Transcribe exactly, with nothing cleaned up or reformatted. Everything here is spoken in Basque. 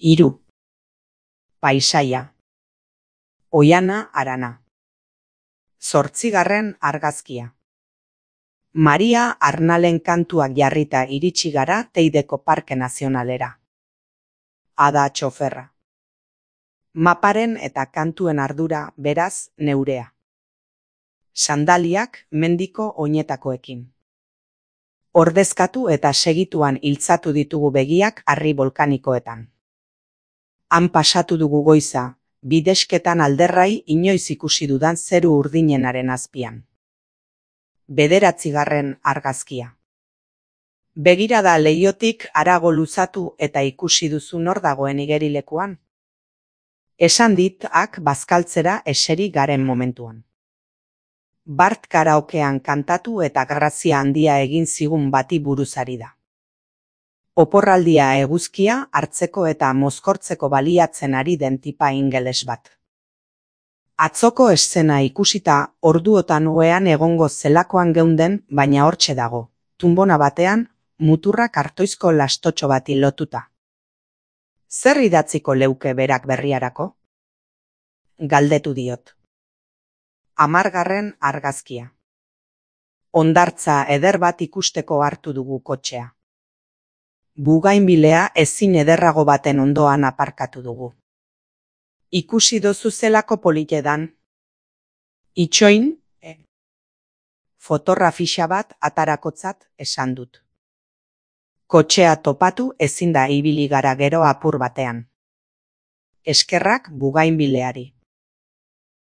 Hiru. Paisaia. Oiana Arana. Zortzigarren argazkia. Maria Arnalen kantuak jarrita iritsi gara Teideko Parke Nazionalera. Ada txoferra. Maparen eta kantuen ardura, beraz, neurea. Sandaliak mendiko oinetakoekin. Ordezkatu eta segituan iltzatu ditugu begiak harri volkanikoetan. Han pasatu dugu goiza, bidesketan alderrai inoiz ikusi dudan zeru urdinenaren azpian. Bederatzigarren argazkia. Begirada leihotik harago luzatu eta ikusi duzu nor dagoen igerilekuan. Esan dit ak bazkaltzera eseri garen momentuan. Bart karaokean kantatu eta grazia handia egin zigun bati buruzari da. Oporraldia eguzkia hartzeko eta mozkortzeko baliatzen ari den tipa ingeles bat. Atzoko eszena ikusita orduotan ohean egongo zelakoan geunden, baina hortxe dago, tunbona batean, muturra kartoizko lastotxo bati lotuta. Zer idatziko leuke berak berriarako? Galdetu diot. Hamargarren argazkia. Hondartza eder bat ikusteko hartu dugu kotxea. Bugainbilea ezin ederrago baten ondoan aparkatu dugu. Ikusi dozu zelako politedan. Itxoin, e. Fotorra fixa bat atarakotzat esan dut. Kotxea topatu ezin da ibili gara gero apur batean. Eskerrak bugainbileari.